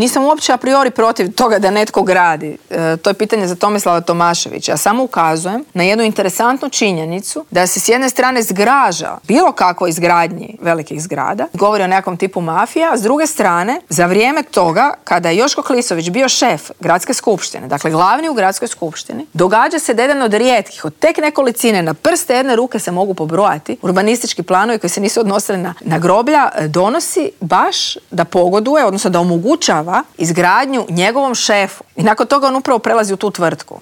Nisam uopće a priori protiv toga da netko gradi. To je pitanje za Tomislava Tomaševića. Ja samo ukazujem na jednu interesantnu činjenicu da se s jedne strane zgraža bilo kako izgradnji velikih zgrada, govori o nekom tipu mafije, a s druge strane, za vrijeme toga, kada je Joško Klisović bio šef gradske skupštine, dakle glavni u gradskoj skupštini, događa se da jedan od rijetkih, od tek nekolicine, na prste jedne ruke se mogu pobrojati, urbanistički planovi koji se nisu odnosili na groblja, donosi baš da pogoduje, odnosno da omogućava izgradnju njegovom šefu. I nakon toga on upravo prelazi u tu tvrtku.